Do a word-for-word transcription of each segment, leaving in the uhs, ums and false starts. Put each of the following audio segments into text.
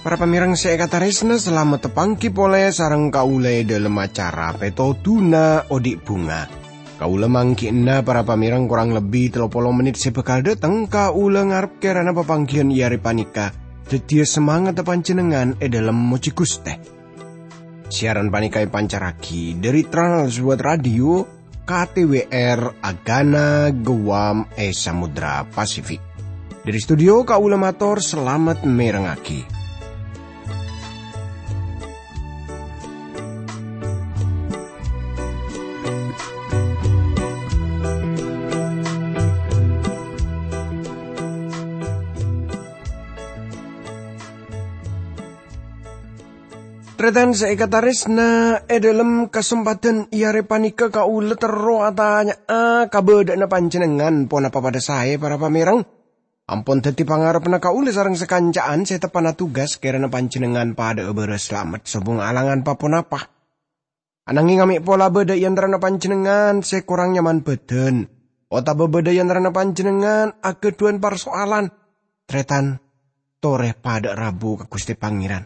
Para pamèrèng sè èkatarèsna, salamet tapangghi polè sareng kaulâ è dhâlem acara Pètodhuna Odi' Bhunga. Kaulâ mangghi'na para pamèrèng korang lebbi tello polo mennit sè bhâkal dâteng. Kaulâ ngarep kèrana papangghiyân è arè panèka dhâddhiyâ samangatta panjhennengngan è dhâlem mojhi Ghustè. Siaran panèka èpancarraghi dhâri Trans World Radio, K T W R, Agana, Guam, è Samudra Pasifik. Dhâri studio, kaulâ mator salamet mèrengngaghi. Tarètan sè èkatarèsna, è dhâlem kasempadhân è arè panèka kaulâ terro atanya'a kabâdâ'ânna panjhennengngan ponapa padâ saè, para pamèrèng? Ampon dhâddhi pangarebbhânna kaulâ sareng sakanca'an sè teppa'na tugas kèrana panjhennengngan padâ'â bârâs salamet sobung alangan pa-ponapa. Ananghing amè' pola bâdâ è antarana panjhennengngan sè korang nyaman bhâdhân, otabâ bâdâ è antarana panjhennengngan aghâdhuwân parso'alan, tarètan, torè padâ'â rabu ka Ghustè Pangèran.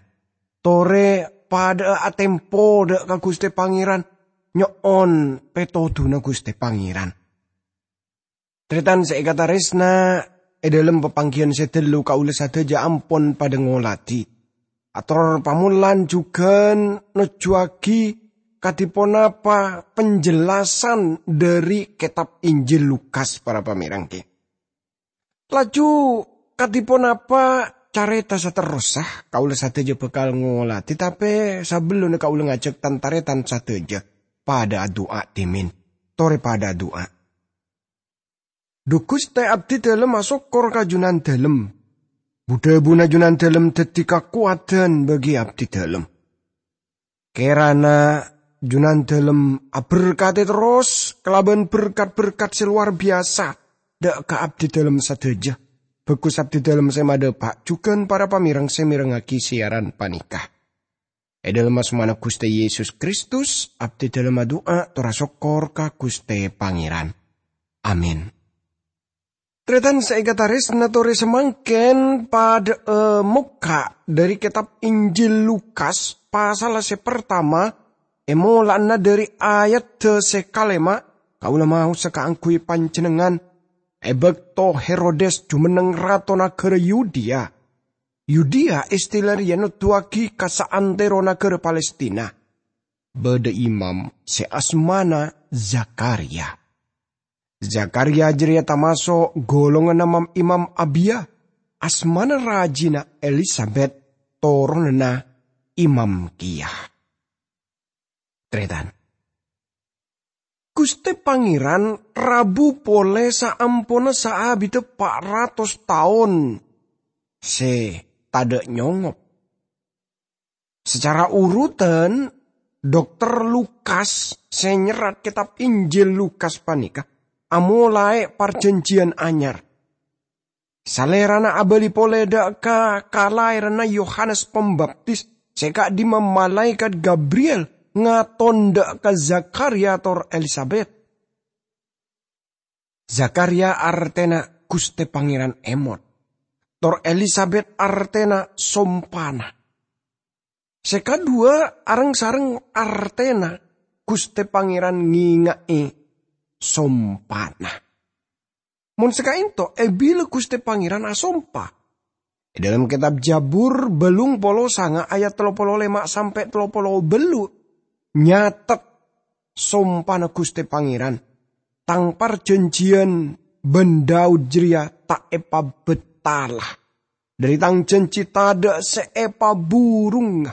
Torè padâ'â atempo dâ' ka Ghustè Pangèran, nyo'on pètodhuna Ghustè Pangèran. Tarètan sè èkatarèsna, è dhâlem papangghiyân sè ghâllu kaulâ sadhâjâ ampon padâ ngolatè. Ator pamolan jhughân nojjuwâghi kadhi ponapa penjelasan dhâri kètab Injil Lukas, para pamèrèng. Laju kadhi ponapa carèta saterrossa, kaulâ sadhâjâ bhâkal ngolatè, tapè sabellunna kaulâ ngajhâk tan-tarètan sadhâjâ padâ adu'a dhimèn. Torè padâ adu'a. Dhu Ghustè, abdhidhâlem asokkor ka Junandhâlem. Bu-dhâbuna Junandhâlem dhâddhi kakowadhân bagi abdhidhâlem. Kèrana Junandhâlem aberkadhi terros kalabân berkat-berkat sè lowar biyasa dâ' ka abdhidhâlem sadhâjâ. Bhâghus abdhidhâlem sè madhâpa' jhughân para pamèrèng sè mèrengngaghi siaran panèka. È dhâlem asmana Ghustè Yesus Kristus, abdhidhâlem adu'a tor asokkor ka Ghustè Pangèran. Amin. Tarètan sè èkatarèsna, torè samangkèn padâ'â mokka' dhâri kètab Injil Lukas, pasal sè partama, è mola'na dhâri ayadda sè kalèma', kaulâ maosa kaangghuy panjhennengngan, è bâkto Herodes jumenneng rato naghârâ Yudea. Yudea, istila rèya noduwâghi ka saantero naghârâ Palestina, bâdâ imam sè asmana Zakharya. Zakharya jârèya tamaso' golonganna mam-imam Abiya, asmana rajina Elisabet, toronanna imam kèya. Tarètan. Ghustè Pangèran rabu polè saamponna saabiddhâ pa' ratos taon sè tadâ' nyongop. Sacara urutan, Dokter Lukas sè nyerrat kètab Injil Lukas panèka amolaè Parjhânjhiyân Anyar. Salèrana abâli polè dâ' ka kalaèranna Yohanes Pambaptis sè ka'dimma malaèkat Gabriel ngaton dâ' ka Zakharya tor Elisabet. Zakharya artèna Ghustè Pangèran èmot, tor Elisabet artèna sompana. Sè kadhuwâ areng-sareng artèna Ghustè Pangèran ngènga'è sompana. Mon sè ka'ènto, è bilâ Ghustè Pangèran asompa? È dhâlem kètab Jabur bâllung polo sanga ayat tello polo lèma' sampè' tello polo bâllu' nyatet sompana Ghustè Pangèran, "Tang parjhânjhiyân bân Daud jârèya ta' èpabâtala. Dhâri Tang jhânjhi tadâ' sè èpaburungnga.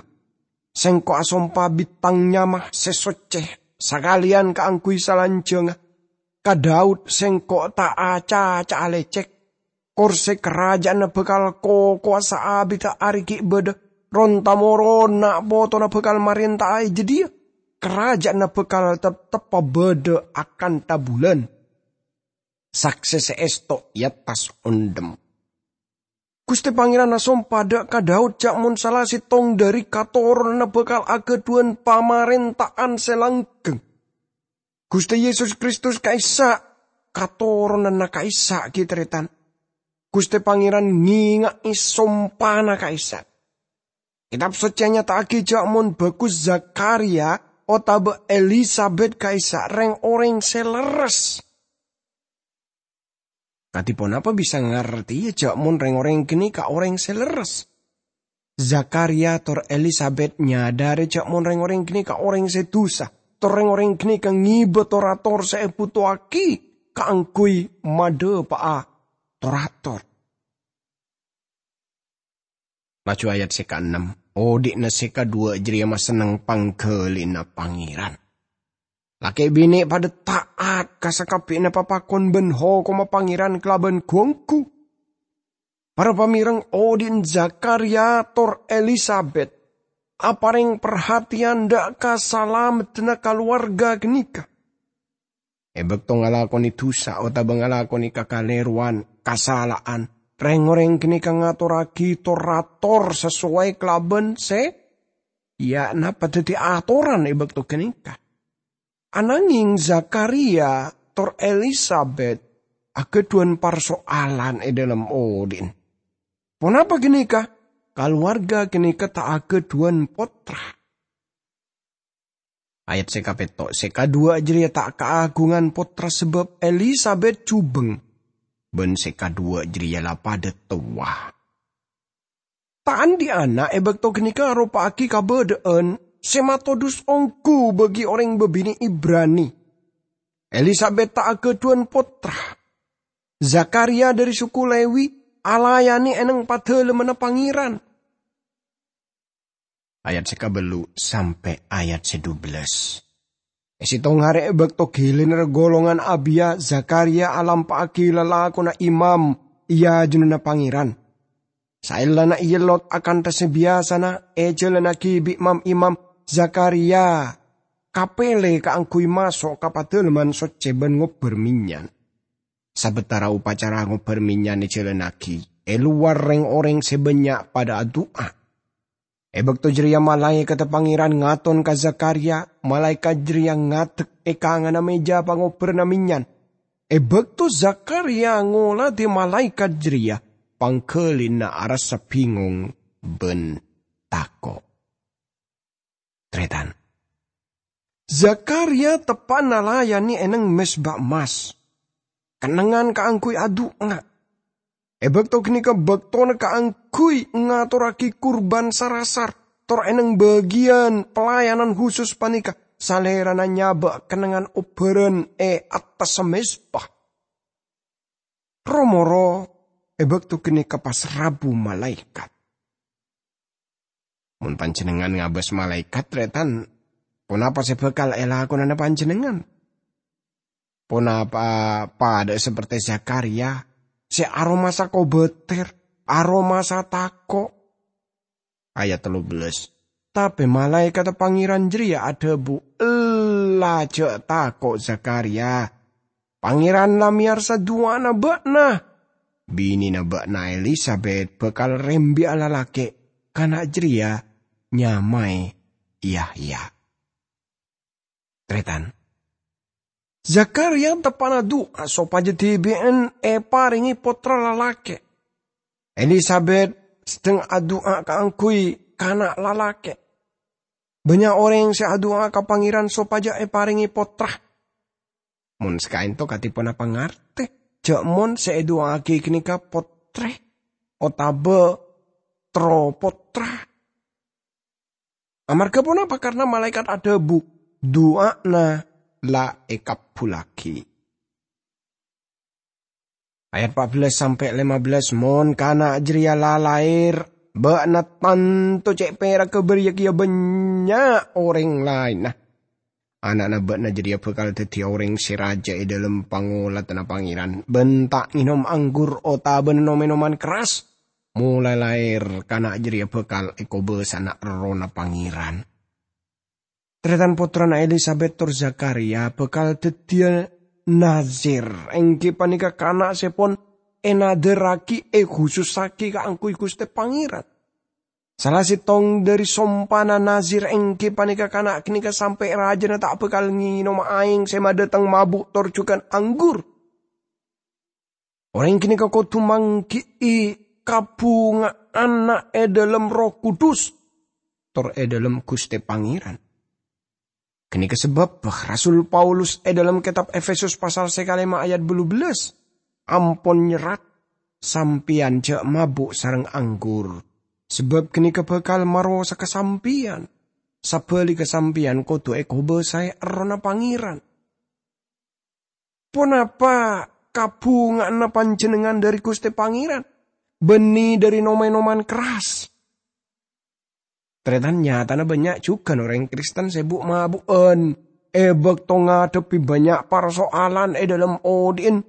Sèngko' asompa bi' Tang nyama sè soccè sakalèyan kaangghuy salanjhângnga. Ka Daud Sèngko' ta' acaca'a lècèk. Korsè karaja'anna bhâkal kokowa saabiddhâ arè ghi' bâdâ, ron-tamoron na'-potona bhâkal marènta'a è jâdiyâ. Karaja'anna bhâkal teptebbhâ bâdâ akanta bulân. Saksè sè èsto è attas ondhem." Guste Pangeran asompa dha' ka Daud ja' mon sala settong dhari katoronanna bakal agadhuwan pamarenta'an se langgeng. Guste Yesus Kristus ka'issa' katoronanna ka'issa' gi' taretan. Guste Pangeran ngenga'e sompana ka'issa'. Ketab Socce nyata'agi ja' mon bagus Zakariya otaba Elisabet ka'issa' reng-oreng se lerres. Kadi ponapa bisa ngarteya ja' mon reng-oreng ganeka oreng se lerres? Zakariya tor Elisabet nyadare ja' mon reng-oreng ganeka oreng se dusa, tor reng-oreng ganeka ngeba tor-ator se ebutoagi kaangguy madhapa'a tor-ator. Laju ayat se kaennem, odhi'na se kadhuwa jareya masenneng panggalina Pangeran. Lake' bine' padha ta'at ka sakabbi'na papakon ban hokomma Pangeran kalaban gu-onggu. Para pamereng, odhi'na Zakariya tor Elisabet apareng parhatiyan dha' ka salameddhana kalowarga ganeka. E bakto ngalakone dusa otaba ngalakone kakalerowan, kasala'an, reng-oreng ganeka ngatorragi tor-ator sasowai kalaban se, ya, napa daddi atoran e bakto ganeka. Anangeng Zakariya tor Elisabet agadhuwan parso'alan e dhalem odhi'na. Ponapa ganeka? Kalowarga ganeka ta' agadhuwan pottra. Ayat se kapetto', se kadhuwa jareya ta' kaagungan pottra sabab Elisabet jubeng, ban se kadhuwa jareya la padha towa. Ta' andhi' ana' e bakto ganeka aropa'agi kabadha'an se matodus onggu bagi oreng babine' Ibrani. Elisabet ta' agadhuwan pottra. Zakariya dhari suku Lewi alayane e neng Padalemmanna Pangeran. Ayat se kabellu' sampe' ayat se dubellâs. E settong are e bakto gilena golongan Abiya, Zakariya alampa'agi lalakonna imam e ajunanna Pangeran. Saellana eellot akantha se biyasana ejalannagi bi' mam-imam, Zakariya kapele kaangguy maso' ka Padalemman Socce ban ngobbar menyan. Sabatara opacara ngobbar menyan ejalannagi, e lowar reng-oreng se bannya' padha adu'a. E bakto jareya malaekadda Pangeran ngaton ka Zakariya, malaekat jareya ngadek e kanganna meja pangobbarranna menyan. E bakto Zakariya ngolade malaekat jareya, panggalina arassa bingong ban tako'. Taretan. Zakariya teppa'na layane e neng mezba emmas, kennengngan kaangguy adu'a. E bakto ganeka baktona kaangguy ngatorragi kurban sarasar, tor e neng bagiyan pelayanan husus paneka Salerana nyaba' kennengngan obbaran e attassa mezba. Ro-moro e bakto ganeka pas rabu malaekat. Mon panjennengngan ngabas malaekat, taretan, ponapa se bakal elakonana panjennengngan? Ponapa padha saperte Zakariya se aromasa kobater, aromasa tako'? Ayat tello bellas. Tape malaekadda Pangeran jareya adhabu, "Ella, ja' tako', Zakariya. Pangeran la meyarsa du'ana ba'na. Binena ba'na Elisabet bakal rembi'a lalake', kana' jareya nyamae Yahya." Taretan. Zakariya teppa'na du'a sopaja dibi'en eparenge pottra lalake'. Elisabet sedang adu'a kaangguy kana' lalake'. Bannya' oreng se adu'a ka Pangeran sopaja eparenge pottra. Mon sakaento kadi ponapa ngarte ja' mon se edu'a'agi ganeka pottre otaba terro pottra? Amarga ponapa? Karna malaekat adhabu, "Du'ana la ekabbullagi." Ayat empat belas sampe' lima belas, "Mon kana' jareya la laer, ba'na tanto ce' peragga bariya keya bannya' oreng laenna. Ana'na ba'na jareya bakal daddi oreng se raja e dhalem pangoladanna Pangeran, ban ta' ngenom anggur otabana nom-enoman kerras. Molae laer, kana' jareya bakal ekobasana Errohna Pangeran." Taretan, pottrana Elisabet tor Zakariya bakal daddiya Nazir, enggi paneka kana' se pon ènadhârraghi, èkhusussaghi kaangghuy Ghustè Pangèran. Sala sèttong dhâri sompana Nazir èngghi panèka kana' ghânèka sampè' rajâna ta' bhâkal ngènoma aèng sè madhâteng mabu' tor jhughân anggur. Orèng ghânèka kodhu mangghi'i kabhunga'anna è dhâlem Erroh Kudus, tor è dhâlem Ghustè Pangèran. Ghânèka sabâbbhâ Rasul Paulus è dhâlem kètab Efesus pasal sè kalèma ayat bâllu bellâs ampon nyerrat, "Sampèyan jhâ' mabu' sareng anggur, sabâb ghânèka bhâkal marosaghâ sampèyan. Sabhâligghâ sampèyan kodhu èkobâsaè Errohna Pangèran." Ponapa kabhunga'anna panjhennengngan dhâri Ghustè Pangèran? Bânnè dhâri nom-ènoman kerras? Tarètan, nyatana bânnya' jhughân orèng Kristen sè bu'-mabu'ân è bâkto ngadhebbhi bânnya' parsoalan è dhâlem odi'na.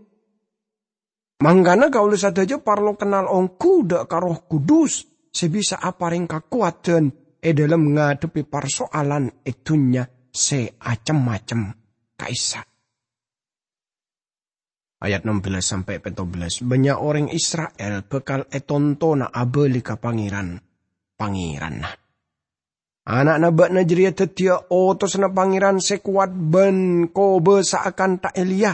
Mangkana kaulâ sadhâjâ parlo kennal ongghu dhâ' ka Erroh Kudus sè bisa aparèng kakowadhân è dhâlem ngadhebbhi parsoalan è dhunnya sè cem-macem ka'issa'. Ayat ennem belas sampai pètto belas, "Bânnya' orèng Isra'il bhâkal ètontona abâli ka Pangèran, Pangèranna. Ana'na bâ'na jârèya dhâddhiyâ otosanna Pangèran sè kowat bân kobâsa'a kantha Eliya.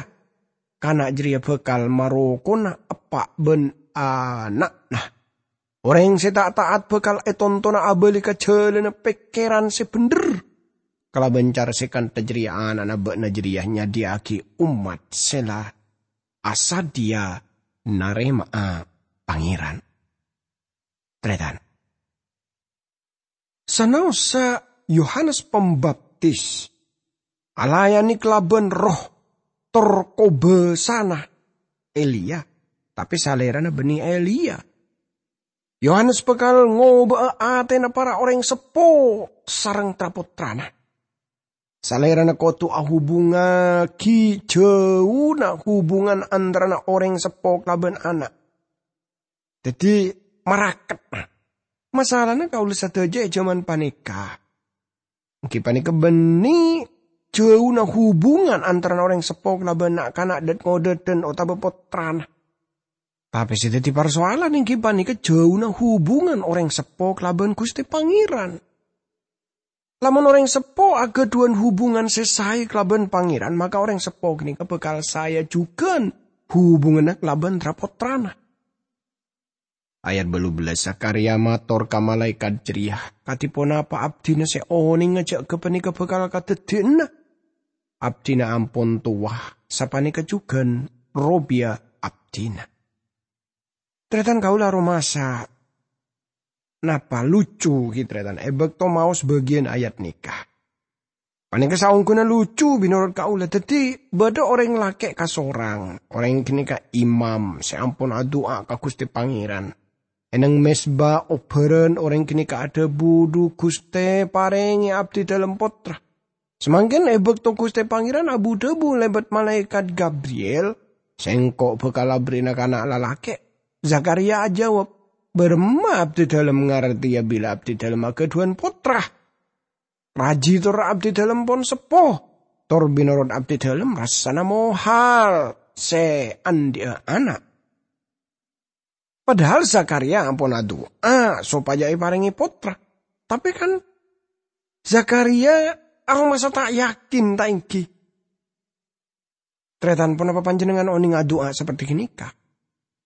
Kana' jârèya bhâkal marokona eppa' bân ana'na. Orèng sè ta' ta'at bhâkal ètontona abâli ka jhâlânna pèkkèran sè bhendher. Kalabân cara sè kantha jârèya ana'na bâ'na jârèya nyadhiyâ'aghi ommat sè la asadhiyâ narèma'a Pangèran." Tarètan. Sanaossa Yohanes Pambaptis alayane kalaban roh tor kobasana Eliya, tape salerana banne Eliya. Yohanes bakal ngoba'a atena para oreng seppo sareng tra-pottrana. Salerana kodu ahubungagi jauna hubungan antarana oreng seppo kalaban ana'. Daddi, maraket. Masalana kaula sadaja e jaman paneka, enggi paneka banne jauna hubungan antarana oreng seppo kalaban na'-kana' dad-ngodadan otaba pottrana. Tape se daddi parsoalan enggi paneka jauna hubungan oreng seppo kalaban Guste Pangeran. Lamon oreng seppo agadhuwan hubungan se sae kalaban Pangeran, maka oreng seppo ganeka bakal saeya jugan hubunganna kalaban tra-pottrana. Ayat balu bellas, Zakharia mator ka malaekat jareya, "Kadi ponapa abdina se onenga ja' gapaneka bakal kadaddiyana? Abdina ampon towa, sapaneka jugan robiya abdina." Taretan kaula aromasa napa lucu, gi, taretan, e bakto maos bagiyan ayat neka. Paneka saongguna lucu menorot kaula. Daddi, badha oreng lake' kasorang. Oreng ganeka imam se ampon adu'a ka Guste Pangeran. E neng mesba obbaran oreng ganeka adhabu, "Dhu Guste, parenge abdi dalem pottra." Samangken e bakto Guste Pangeran abu-dhabu lebat malaekat Gabriel, "Sengko' bakal aberri'na kana' lalake'." Zakharia ajawab, "Baramma abdi dalem ngarteya bila abdi dalem agadhuwan pottra? Raji tor abdi dalem pon seppo, tor binorot abdi dalem rassana mohal se andhi'a ana'." Padahal Zakharia ampon adu'a sopajâ eparenge pottra. Tape kan Zakharia aromasa ta' yakin, ta' enggi? Taretan, ponapa panjennengngan oneng adu'a saperti ganeka?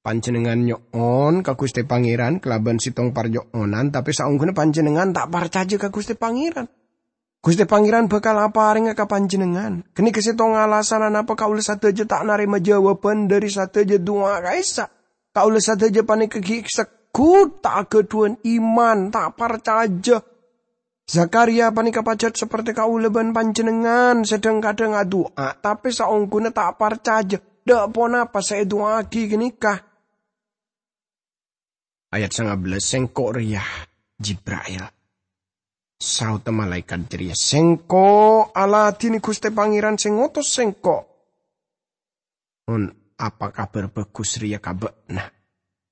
Panjennengngan nyo'on ka Guste Pangeran kalaban settong parnyo'onan, tape saongguna panjennengngan ta' parcaja ka Guste Pangeran. Guste Pangeran bakal aparenga ka panjennengngan. Ganeka settong alasan anapa kaula sadaja ta' narema jawaban dhari sadaja du'a ka'issa'. Kaula sadaja paneka gi' seggut ta' agadhuwan iman, ta' parcaja. Zakharia paneka pajat saperti kaula ban panjennengngan se dhang-kadhang adu'a, tape saongguna ta' parcaja dha' ponapa se edu'aagi ganeka. Ayat sanga bellas, "Sengko' reya Jibra'il," saodda malaekat jareya. "Sengko' aladine Guste Pangeran se ngotos sengko'. Mon apa kabar bagus reya ka ba'na?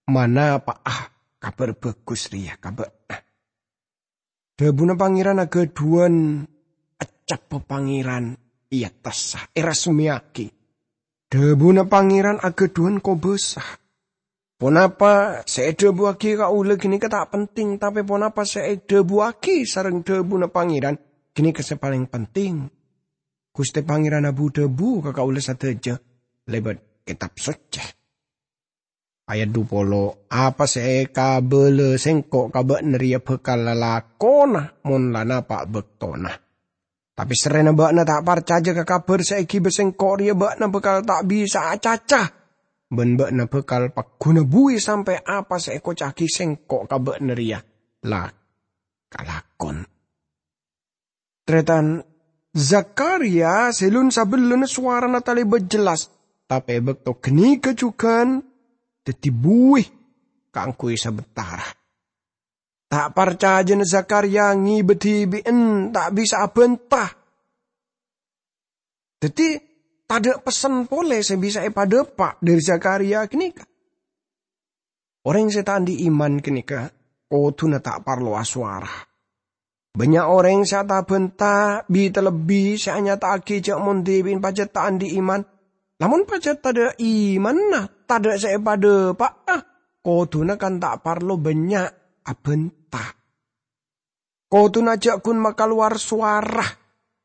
Manapa'a kabar bagus reya ka ba'na?" Dhabuna Pangeran agadhuwan, eccabba Pangeran e attassa, erasmeyagi. Dhabuna Pangeran agadhuwan kobasa. Ponapa sè èdhâbuwâghi kaulâ ghânèka ta' penting, tapè ponapa sè èdhâbuwâghi sareng dhâbuna Pangèran ghânèka sè palèng penting. Ghustè Pangèran abu-dhâbu ka kaulâ sadhâjâ lèbât Kètab Soccè. Ayat dhu polo, "Apa sè èkabâlâ Sèngko' ka bâ'na rèya bhâkal lalakonna mon la napa' bâktona. Tapè sarrèna bâ'na ta' parcajâ ka kabhâr sè èghibâ Sèngko' rèya, bâ'na bhâkal ta' bisa'a acaca, bân bâ'na bhâkal pagghuna buwi sampè' apa sè èkoca'aghi Sèngko' ka bâ'na rèya la kalakon." Tarètan, Zakariya sè lun-sabellunna sowarana talèbât jellas, tapè è bâkto ghânèka jhughân dhâddhi buwi kaangghuy sabentara. Ta' parcajâna Zakariya ngibâ dhibi'en ta' bisa abhânta. Dhâddhi, tadâ' pessen polè sè bisa èpadâpa' dhâri Zakariya ghânèka. Orèng sè ta' andi' iman ghânèka kodhuna ta' parlo asowara. Bânnya' orèng sè atabhânta bi-talebbi sè anyata'aghi jâ' mon dhibi'en pajhât ta' andi' iman. Lamon pajhât tadâ' imanna, tadâ' sè èpadâpa'a, kodhuna kan ta' parlo bânnya' abhânta. Kodhuna jâ' ghun makalowar sowara.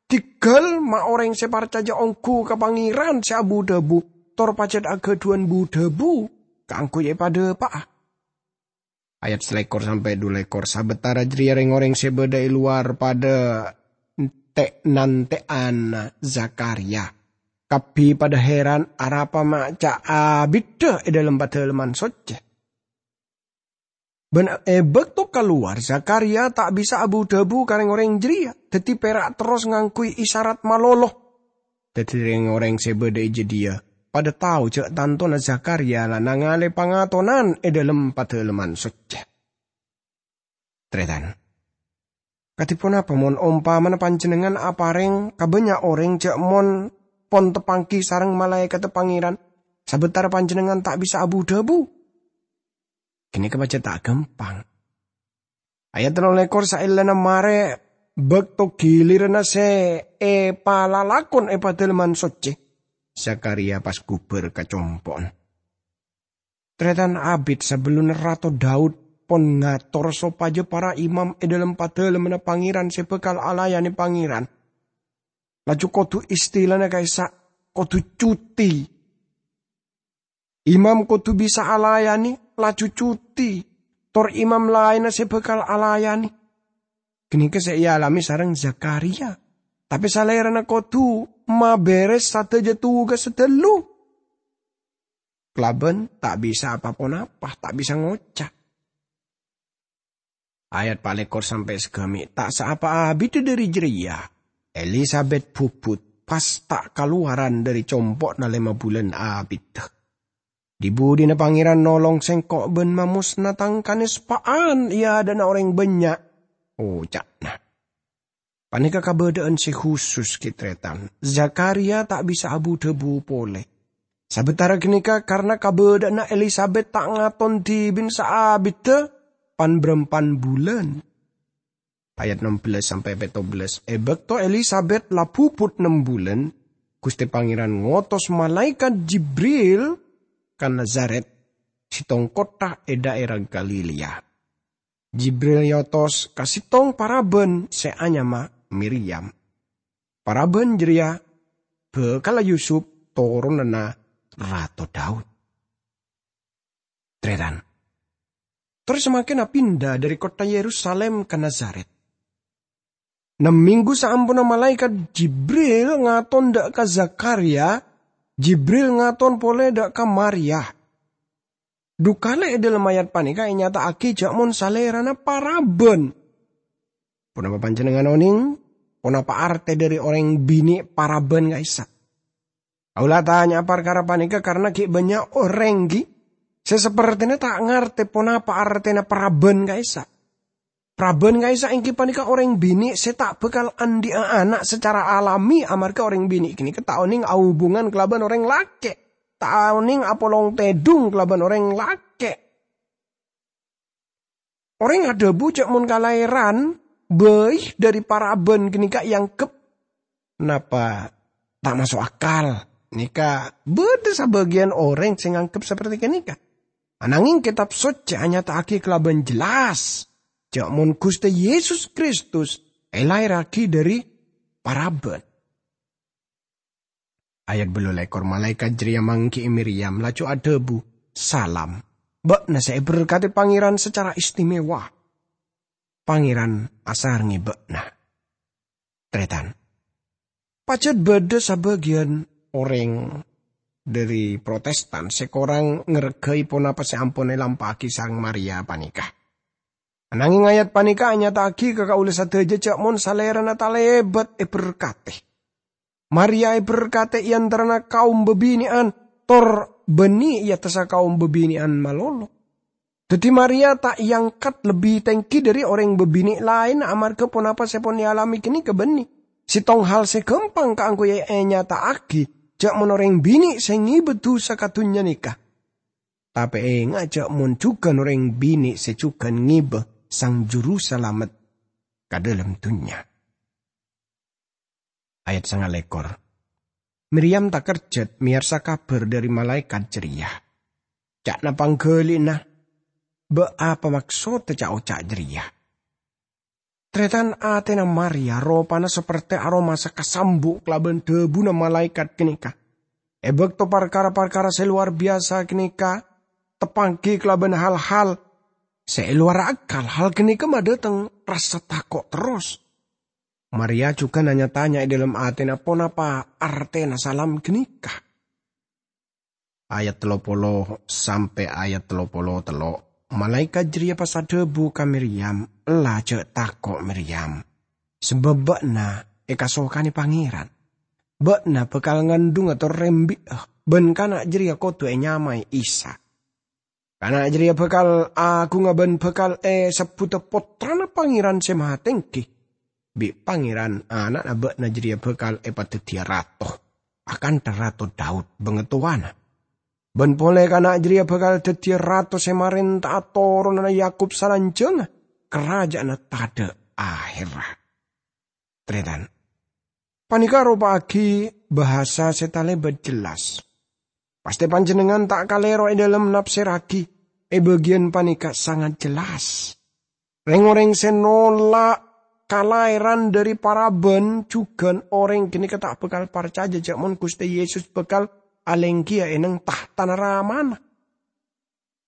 Dhigghâl ma' orèng sè parcajâ ongghu ka Pangèran sè abu-dhâbu, tor pajhât aghâdhuwân bu-dhâbu kaangghuy èpadâpa'a. Ayat salèkor sampè' dhu lèkor. Sabâtara jârèya rèng-orèng sè bâdâ è lowar padâ te'-nantè'an Zakariya. Kabbhi padâ hèran arapa ma' ca' abiddhâ è dhâlem Padâlemman Soccè. Bân è bâkto kalowar, Zakariya ta' bisa abu-dhâbu ka rèng-orèng jârèya, dhâddhi pèra' terros ngangghuy isarat malolo. Dhâddhi rèng-orèng sè bâdâ è jâdiyâ padâ tao jâ' tantona Zakariya la nangalè pangatonan è dhâlem Padâlemman Soccè. Tarètan, kadhi ponapa mon ompamana panjhennengngan aparèng ka bânnya' orèng jâ' mon pon tapangghi sareng malaèkatta Pangèran, sabâtara panjhennengngan ta' bisa abu-dhâbu? Ghânèka pajhât ta' ghâmpang. Ayat tello lèkor, saellana marè bâkto ghiliranna sè èpalalakon è Padâlemman Soccè, Zakariya pas ghubâr ka compo'na. Tarètan, abit sabellunna Rato Daud pon ngator sopajâ para imam è dhâlem Padâlemmanna Pangèran sè bhâkal alayanè Pangèran, laju kodhu istilana ka'issa' kodhu cuti. Imam kodhu bisa alayanè, laju cuti, tor imam laènna sè bhâkal alayanè. Ghânèka sè èalamè sareng Zakariya. Tapè salèrana kodhu mabèrès sadhâjâ tugas sè ghâllu. Kalabân ta' bisa pa-ponapa, ta' bisa ngoca'. Ayat palèkor sampè' sagâmè'. Ta' saapa abiddhâ dhâri jârèya, Elisabet bhubhut, pas ta' kalowaran dhâri compo'na lèma bulân abiddhâ. "Dhi-budhina Pangèran nolong sèngko' bân mamosna tang kanèspa'an è adâ'na orèng bânnya'," oca'na. Panèka kabâdâ'ân sè khusus, ghi, tarètan. Zakariya ta' bisa abu-dhâbu polè. Sabâtara ghânèka, karna kabâdâ'ânna Elisabet ta' ngaton dhibi'en saabiddhâ pan-bârâmpan bulân. Ayat ennem belas sampè' pètto belas. È bâkto Elisabet la bhubhut nem bulân, Ghustè Pangèran ngotos malaèkat Jibril ka Nazaret, sèttong kottha è dhaèra Galilea. Jibril èotos ka sèttong parabân sè anyama Miryam. Parabân jârèya bhâkalla Yusup, toronanna Rato Daud. Tarètan. Tor samangkèna pinda dhâri kottha Yerusalim ka Nazaret. Nem mènggu saamponna malaèkat Jibril ngaton dâ' ka Zakariya, Jibril ngaton polè dâ' ka Maria. Dhu kalè è dhâlem ayat panèka ènyata'aghi jâ' mon salèrana parabân. Ponapa panjhennengngan onèng? Ponapa artè dhâri orèng binè' parabân ka'issa'? Kaulâ atanya'a parkara panèka karna ghi' bânnya' orèng, ghi, sè sapertèna ta' ngartè ponapa artèna parabân ka'issa'. Parabân ka'issa' èngghi panèka orèng binè' sè ta' bhâkal andi'â ana' sacara alami, amarghâ orèng binè' ghânèka ta' onèng ahubungan kalabân orèng lakè', ta' onèng apolong tèdung kalabân orèng lakè'. Orèng adhâbu jâ' mon kalahèran bhâi dhâri parabân ghânèka èangghep napa ta' maso' akal. Nèka bâdâ sabâgiyân orèng sè nganggep saperti ghânèka. Ananging Kètab Soccè anyata'aghi kalabân jelas jhâ' mon Ghustè Yesus Kristus èlaèrraghi dhâri paraban. Ayat bâllu lèkor, malaèkat jârèya mangghi'i Miryam, laju adhâbu, "Salam. Bâ'na sè èberkadhi Pangèran sacara istimewa. Pangèran asarengngè bâ'na." Tarètan, pajhât bâdâ sabâgiyân orèng dhâri Protestan sè korang ngarghâi ponapa sè ampon èlampa'aghi sareng Maria panèka. Ananging ayat panèka anyata'aghi ka kaulâ sadhâjâ jhâ' mon Salèrana talèbât èberkadhi. Maria èberkadhi è antarana kaum bâbinè'an, tor bânnè è attassa kaum bâbinè'an malolo. Dhâddhi Maria ta' èangkat lebbi tèngghi dhâri orèng bâbinè' laènna amarghâ ponapa sè pon èalamè ghânèka bânnè sèttong hal sè ghâmpang kaangghuy ènyata'aghi jhâ' mon orèng binè' sè ngèbâ dhusa ka dhunnya nèka. Tapè enga' jhâ' mon jhughân orèng binè' sè jhughân ngèbâ Sang Jurusalamet ka dhâlem dhunnya. Ayat sangalèkor. Miryam takerjhât mèyarsa kabhâr dhâri malaèkat jârèya. Ca'na pangghâli'na, "Bâ' apa maksodda ca'-oca' jârèya?" Tarètan, atèna Maria ropana sapertè aromasa kasambu' kalabân dhâbuna malaèkat ghânèka. È bâkto parkara-parkara sè lowar biyasa ghânèka teppa'aghi kalabân hal-hal sè è lowar akal, hal ghânèka madhâteng rassa tako' terros. Maria jhughân nya-tanya è dhâlem atèna ponapa artèna salam ghânèka. Ayat tello polo sampè' ayat tello polo tello'. Malaèkat jârèya pas adhâbu ka Miryam, "Ella, jhâ' tako', Miryam, sabâb bâ'na èkasokanè Pangèran. Bâ'na bhâkal ngandhunga tor rembi'â, bân kana' jârèya kodhu ènyamaè Isa. Kana' jârèya bhâkal aghungnga bân bhâkal èsebbhudhâ Pottrana Pangèran Sè Mahatèngghi. Bi' Pangèran, Ana'na bâ'na jârèya bhâkal èpadhâddhiyâ rato, akantha Rato Daud bangatowana. Bân polè kana' jârèya bhâkal dhâddhiyâ rato sè marènta'a toronanna Yakub salanjhângnga, karaja'anna tadhâ' ahèrra." Tarètan, panèka aropa'aghi bhâsa sè talèbât jelas. Pastè panjhennengngan ta' kalèro è dhâlem nafsèrraghi, è bâgiyân panèka sangat jelas. Rèng-orèng sè nola' kalahèran dhâri paraban jhughân orèng ghânèka ta' bhâkal parcajâ jhâ' mon Ghustè Yesus bhâkal alèngghiyâ è neng tahtana Ramana.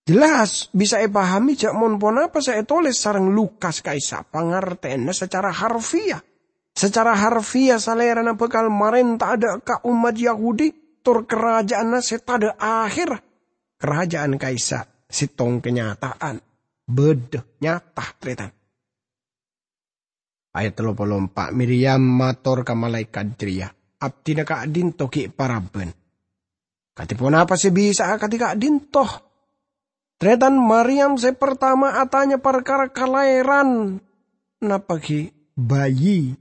Jelas bisa èpahamè jhâ' mon ponapa sè ètolès sareng Lukas ka'issa' pangartèyanna sacara harfiah. Sacara harfiah, Salèrana bhâkal marènta'a dâ' ka ommat Yahudi tor karaja'anna sè tadhâ' ahèrra. Karaja'an ka'issa' sèttong kanyata'an, bâdâ, nyata, tarètan. Ayat tello polo empa', Miryam mator ka malaèkat jârèya, "Abdhina ka'dinto ghi' paraban. Kadhi ponapa sè bisa'a kadhi ka'dinto?" Tarètan, Maryam sè partama atanya parkara kalahèran, napa ghi' bayi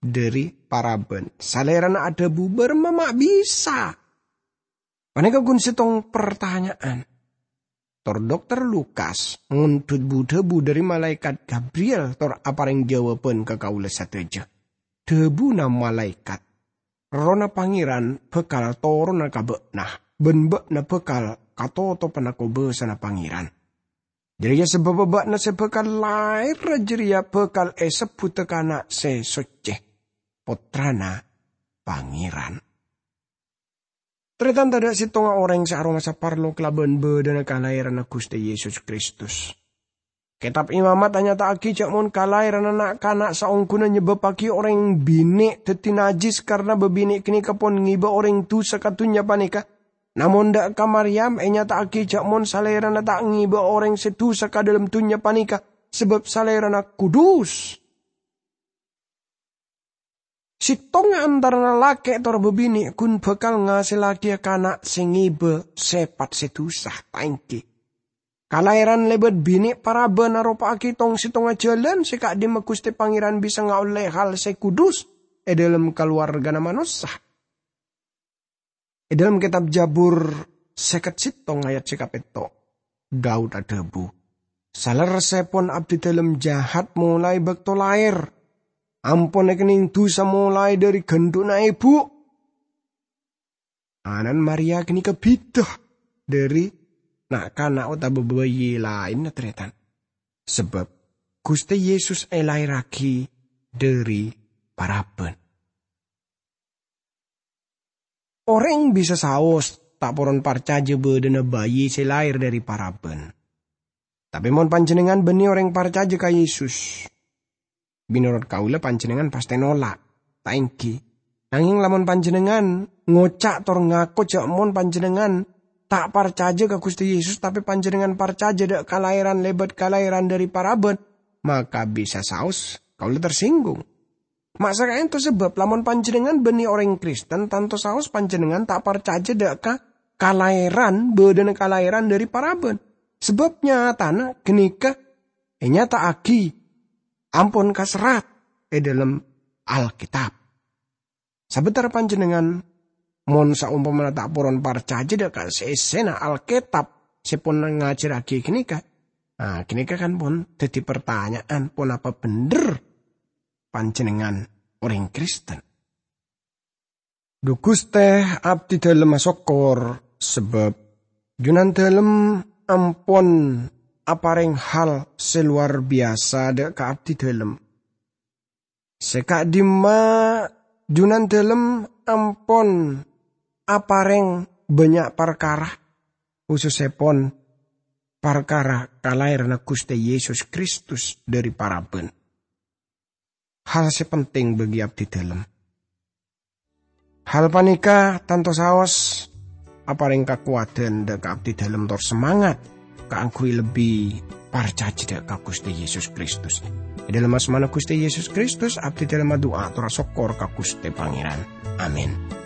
dhâri paraban. Salèrana adhâbu, "Bârâmma ma' bisa?" Panèka ghun sèttong partanya'an. Tor Dokter Lukas ngonḍhut bu-dhâbu dhâri malaèkat Gabriel tor aparèng jâwâbhân ka kaulâ sadhâjâ. Dhâbuna malaèkat, "Errohna Pangèran bhâkal toronna ka bâ'na, bân bâ'na bhâkal katotobhâna kobâsana Pangèran. Jârèya sabâbbhâ bâ'na sè bhâkal laèr jârèya bhâkal èsebbhudhâ Kana' Sè Soccè, Pottrana Pangèran." Tarètan, tadhâ' sèttonga orèng sè aromasa parlo kalabân bâdâna kalahèranna Ghustè Yesus Kristus. Kètab Imamat anyata'aghi jhâ' mon kalahèranna na'-kana' saongghuna nyebbabbhâghi orèng binè' dhâddhi najjhis karna bâbinè' ghânèka pon ngèbâ orèng dhusa ka dhunnya panèka. Namong dâ' ka Maryam ènyata'aghi jhâ' mon salèrana ta' ngèbâ orèng sè dhusa ka dhâlem dhunnya panèka, sabâb salèrana kudus. Sèttonga antarana lakè' tor bâbinè' ghun bhâkal ngasèllaghi kana' sè ngèbâ sèpat sè dhusa, ta' èngghi? Kalahèran lèbât binè' paraban aropa'aghi tong-sèttonga jhâlân sè ka'dimma Ghustè Pangèran bisa ngaollè hal sè kudus è dhâlem kalowarghâna manossa. È dhâlem kètab Jabur sèket sèttong ayat sè kapètto', Daud adhâbu, "Salerressèpon abdhidhâlem jahat molaè bâkto laèr, ampon èkennèng dhusa molaè dhâri ghândhu'na èbhu." Ana'na Maria ghânèka bhidhâ dhâri na'-kana' otabâ bâi laènna, tarètan. Sabâb Ghustè Yesus èlaèrraghi dhâri paraban. Orèng bisa saos ta' poron parcajâ bâdâna bâi sè laèr dhâri paraban. Tapè mon panjhennengngan bânnè orèng parcajâ ka Yesus, mènorot kaulâ panjhennengngan pastè nolak, ta' èngghi? Nangèng lamon panjhennengngan ngoca' tor ngako jâ' mon panjhennengngan ta' parcajâ ka Ghustè Yesus, tapè panjhennengngan parcajâ dâ' kalaèran lèbât kalaèran dhâri paraban, maka bisa saos kaulâ tersinggung. Ma' sakaènto sabâb lamon panjhennengngan bânnè orèng Kristen, tanto saos panjhennengngan ta' parcajâ dâ' ka kalaèran, bâdâna kalaèran dhâri paraban. Sabâb nyatana ghânèka ènyata'aghi ampon kaserrat è dhâlem Alkètab. Sabâtara panjhennengngan, mon saompamana ta' poron parcajâ dâ' ka sè-èssèna Alkètab sè pon ngajhârraghi ghânèka, ah, ghânèka kan pon dhâddhi partanya'an, ponapa bhendher panjhennengngan orèng Kristen? Dhu Ghustè, abdhidhâlem asokkor, sabâb Junandhâlem ampon aparèng hal sè lowar biyasa dâ' ka abdhidhâlem. Sè ka'dimma Junandhâlem ampon aparèng bânnya' parkara, khusussèpon parkara kalaèranna Ghustè Yesus Kristus dhâri paraban. Hal sè penting bagi abdhidhâlem. Hal panèka tanto saos aparèng kakowadhân dâ' ka abdhidhâlem tor semangat kaangghuy lebbi parcajâ dâ' ka Ghustè Yesus Kristus. È dhâlem asmana Ghustè Yesus Kristus, abdhidhâlem adu'a tor asokkor ka Ghustè Pangèran. Amin.